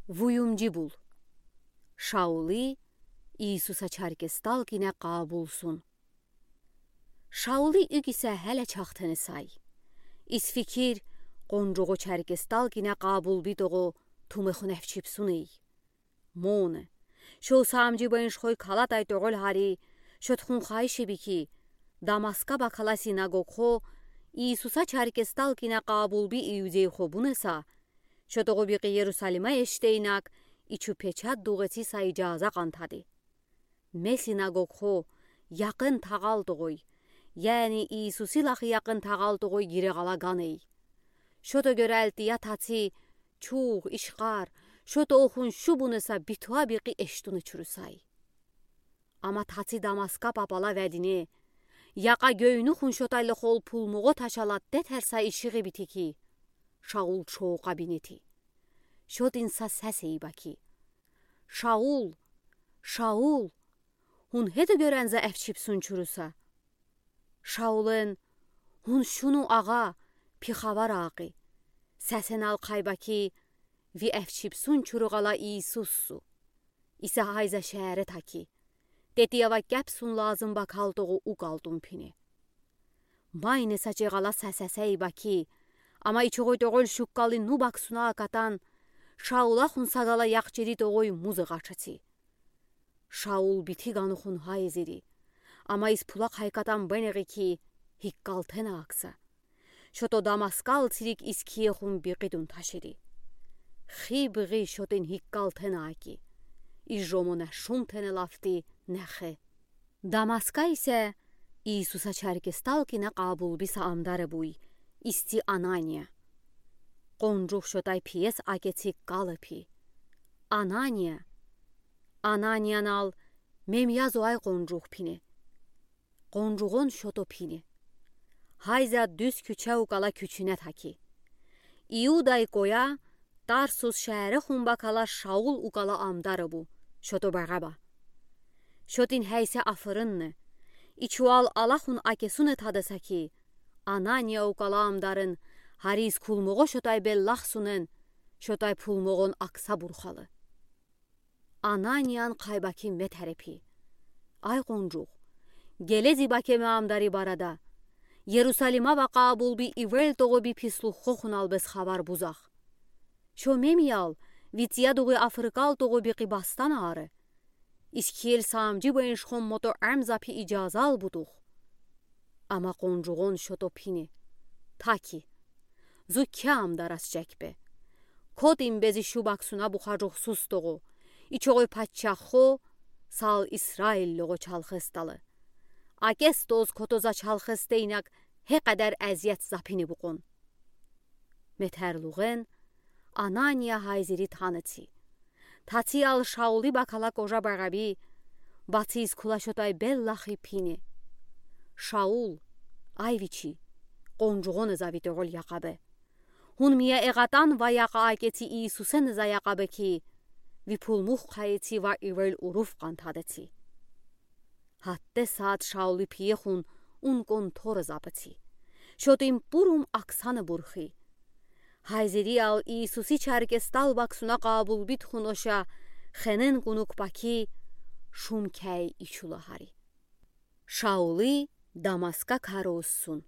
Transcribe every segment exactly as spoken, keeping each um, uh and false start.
Вуюмджи бул. Шаули Иисуса чаркестал кине къаабулсун. Шаули угисе геле чахтени сай. Из фикир къонжугъу чаркестал кине къаабулби тогъо тумехун эфчибсун эй. Моне, шо саамджи беншхой калатай тогъул гьари, шо тухун хайши би ки, Дамаска бакала синагогхо Иисуса чаркестал кине къаабулби иудейхо бунеса, шо тогъу бикъи Иерусалима эште инаг, ичу печат дугъети са ижаза къантади. Ме синагогхо якъын тагъал тогъой, яни Иисуси лахи якъын тагъал тогъой гире гъала ган эй. Шо тогъу гералтия таци чугъ, ишкъар, шо тогъу хун шу бунеса битуа бикъи эштуне чурусай. Ама таци Дамаска папала ведине, якъа гёйню хун шотай лохол пулмугъо ташала тетерса ишигъи бити ки, Шаул чоокъа бинети. Шотин са сес эй баки: «Шаул, Шаул, хун гьеда гёренза эфчибсун чуруса?» Шаулен: «Хун шуну, агъа, пи хабар акъи». Сесен ал кай баки: «Ви эфчибсун чуругъала Иисуссу. Иса гьайза шеере таки, тети ава кепсун лазым бакал тогъу ук алтун пине». Майне са чегъала са сес эй баки, ама ичугъуй тогъул шуккали ну баксуна акатан, Шаула хун сагала якъчири тогъуй музы гъачаци. Шаул бити гану хун гьайзири, ама из пула кайкатан бенегъи ки, гьиккалтена акса. Шото Дамаскал цирик из кие хун бикъидун ташири. Хиб гъи шотин гьиккалтена аки, из жомуна шумтена лафти нехе. Дамаска исе Иисуса чаркестал кине къаабулби са амдаре буй, исти Анания. Къонжух шотай пиес акеци кала пи. «Анания!» Ананиян ал: «Мем я зу, ай къонжух», пине. Къонжугъон шото пине. Гьайза дуьз куьче укала куьчуьне таки. Иудай коя Тарсус шеере хун бакала Шаул укала амдаре бу, шото Бараба. Шотин гьейсе афырынне, ичуал ала хун акесуне тадаса ки, Анания укала амдарын, гьариз кулмугъо шотай беллахсунен, шотай пулмугъон акса бурхалы. Ананиян кай баки ме терепи: «Ай къонжух, геле зи баке ме амдари барада. Иерусалима ва къаабулби ивел тогъу би пислуххо хунал бес хабар бузах. Шо мем ял, ви цияд угъуй афырыкал тогъу бикъи бастан аре. Из киел саамджи беншхон мото эмзапи ижазал бутух». Ама къонжугъон шото пине: «Таки, зу ке амдар асчак бе. Котин бези шу баксуна бухажухсуз тогъу, ичугъуй паччаххо сал Исраиллугъо чалхес талы. Акес тоз кото за чалхес тейнак гье къадар эзият запини букъун». Ме терлугъен Анания гьайзири танеци. Тациял Шаули бакала кожа Бараби, бациз кула шотай беллахи пине: «Шаул, ай вичи, къонжугъоне за ви тогъул якъа бе. Хун мия эгъатан ва якъа акеци Иисусене за якъа бе ки, ви пулмух кайеци ва ивел урув къантадеци». Гьатте саад Шаули пие хун ун конторе запеци. Шотин пурум аксане бурхи. Гьайзириял Иисуси чаркестал баксуна къаабулби тухун оша хенен кунук баки шум кей ичула гьари. Шаули Дамаска карусун.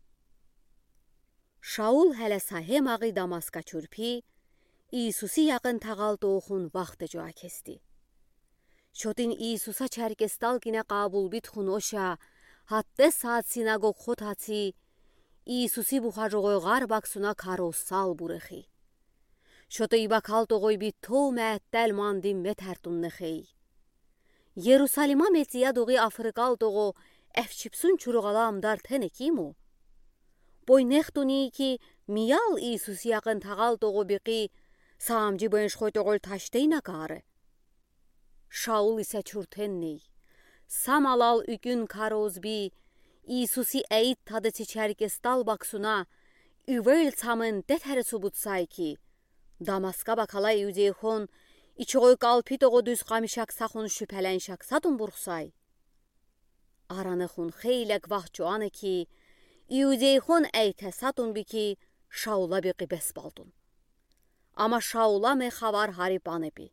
Шаул гьеле са гьемагъи Дамаска чурпи, Иисуси якъын тагъал тогъун вахте жуа кести. Шотин Иисуса чаркестал кине къаабулби тухун оша, гьатте саад синагогхо таци, Иисуси бухажугъой гъар баксуна карусал бурхи. Шото и бакал тогъуй би тов меттел манди ме тертун нехей. Иерусалима ме цияд угъуй афырыкал тогъу эфчипсун чуругъала амдар тене ким у? Бой нехтуни ки, миял Иисуси якъын тагъал тогъу бикъи саамжи беншхой тогъул ташдейна кары. Шаул исе чуртенней. Самалал уьгуьн кароз би, Иисуси эйт тадаци чаркестал баксуна, уьвел цамын тетере субутсай ки, Дамаска бакала иудейхон ичогъой калпи тогъу дуьз къамишаксахун шуьпеленшаксатун бурхсай. Аране хун хейлек вахт жуана ки, иудейхон эйтесатун би ки, Шаула бикъи бес балтун. Ама Шаула ме хабар ҳарипанепи.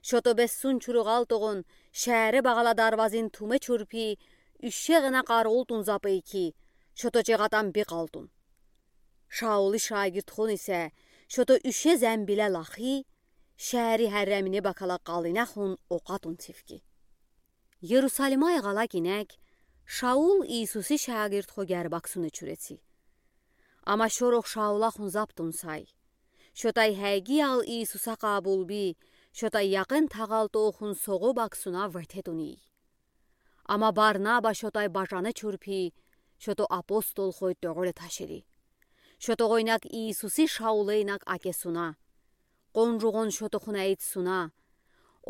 Шото бессун чуругъалтогъун, шеере багала дарвазин туме чурпи, ӱше гена къаролтун запей ки, шото чегатан бикъалтун. Шаули шагирдхон исе шото ӱше зенбиле лахи, шеери ҳерремине бакала къалинахун окъатун цифги. Иерусалимай гъалаг инек Шаул Иисуси шагирдхогер баксуне чуреци. Ама шорох Шаулахун заптун сай. Шотай ҳайгиял Иисуса къабулби, шотай яқын тағалтохун соғо баксуна вететунийи. Ама Барнаба шотай бажане чурпи, шото апостол хой тӧгъоле ташири. Шотогъойнак Иисуси Шаулейнак акесуна. Къонжугъон шотохуна эйтсуна.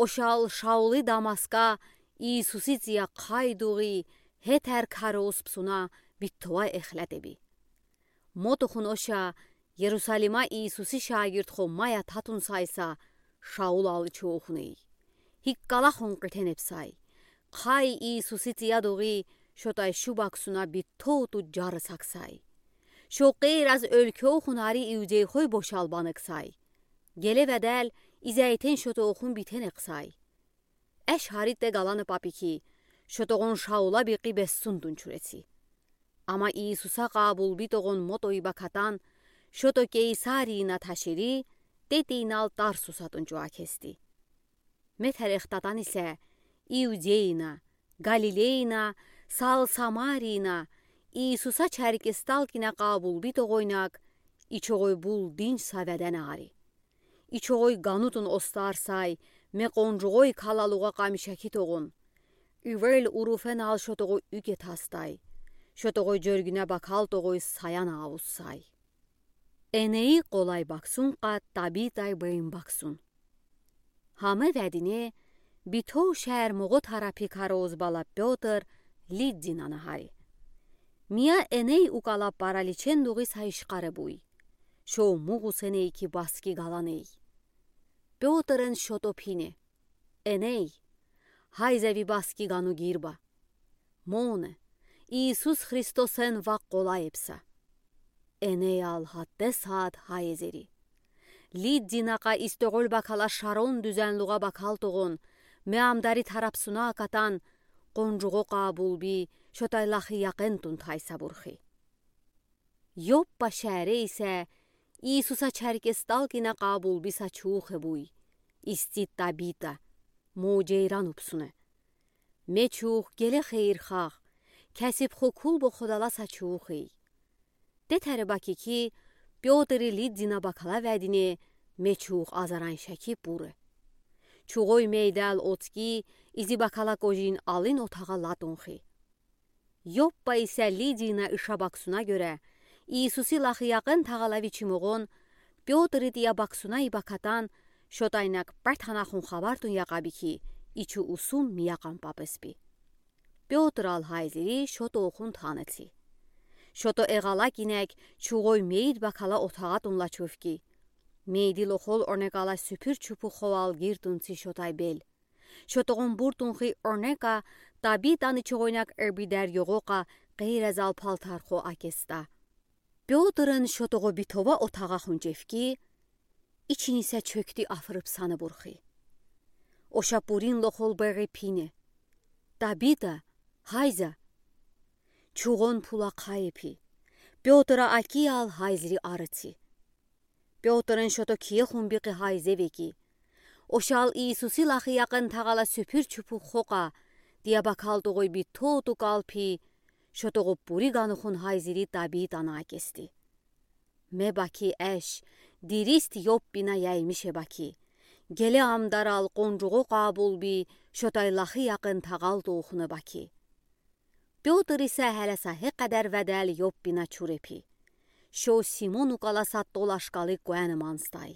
Ошал Шаули Дамаска Иисуси ція хайдугъи, һетер кароз псуна биттовай эхлетеби. Мотохун оша Иерусалима Иисуси шагирдхон мая татун сайса, Шаул алчохуней. Ҳиккалахун къитенеп сай. Хай Иисуси циядугъи шотай шу баксуна биттоту джарысак сай. Шо къейраз ӧлкёхун ари иудейхой бошалбанек сай. Геле ведел изейтен шотохун битенек сай. Эш ҳаритте галане папи ки, шотогъон Шаула бикъи бессундун чуреци. Ама Иисуса къабулбитогъон мотойи бакатан, шото Кейсарийна ташири, тетинал Тарсусатун чуакести. Ме терехтатан исе, Иудейна, Галилейна, сал Самарийна, Иисуса чаркестал кина къабулбитогъойнак, ичогъой булдинч са веденари. Ичогъой ганутун остар сай, ме къонжугъой калалугъа къамишакитогъун. Ивел уруфенал шотогъой уьгетастай. Шотогъой джёргюне бакалтогъой саяна авуссай. Эней къолай баксун къа Табитай бейин баксун. Ҳаме ведине битов шеер моғо тарапи кароз бала Пётр Лиддина наҳари. Мия эней укала параличен дугъи са ишкъаре буй. Шо муғусеней ки баски галаней. Пётрен шото пине. Эней, ҳайза ви баски гану гирба. Моне, Иисус Христосен ва къолаебса. Энеял ҳатте саад ҳайзери. Лиддина къа истогъол бакала шарон дюзенлугъа бакалтогъун, ме ам дари тарапсуна акатан, къонжугъо къабулби, шотай лахи якъентун тайсабурхи. Йоппа шеере исе Иисуса чаркестал кина къабулби са чуухе буй. Исти Табита, мо джейран упсуне. Ме чууху геле хейирхах, кесиб хукулбо ходала са чуухий. Тетере баки ки, Пётри Лиддина бакала ведине, ме чууху азаран шеки буре. Чугъой мейдал отки, изи бакала кожин алин отагъа латунхи. Йоппа исе Лиддина иша баксуна гёре, Иисуси лахи якъен тагъала вичи моғон, Пётри тия баксуна ибакатан, шотайнак пертанахун хабартун якъаби ки, ичу усум миякъан папеспи. Пётрал ҳайзери шотохун танеци. Шото эгъалак инек чугъой мейд бакала отагъатун лачув ки. Мейди лохол орнекала сюпюр чупу ховал гиртунци шотай бел. Шотогъун буртунхи орнека Табитани чугъойнак эрбидер ёгъокъа къейрезал палтархо акеста. Пётрен шотогъо битова отагъа хунчев ки, ичини са чокти афрыбсана бурхи. Оша пурин лохол бери пине. Табита, ҳайза. Чугъон пула хайепи. Пётра акиял ҳайзри арыци. Пётрен шото кие хун бикъи ҳайзеве ки. Ошал Иисуси лахи якъен тагъала сюпюр чупу хокъа, тия бакалтогъой битоту калпи, шотогъо пури ганухун ҳайзири Табитана акести. Ме баки эш, дирист Йоппина яймише баки. Геле ам дарал къонжугъо къабулби, шотай лахи якъен тагъалтохуна баки. Пётр исе ҳелеса ҳе къадар ведел Йоппина чурепи. Шо Симон укъала са толашкали куьне манстай.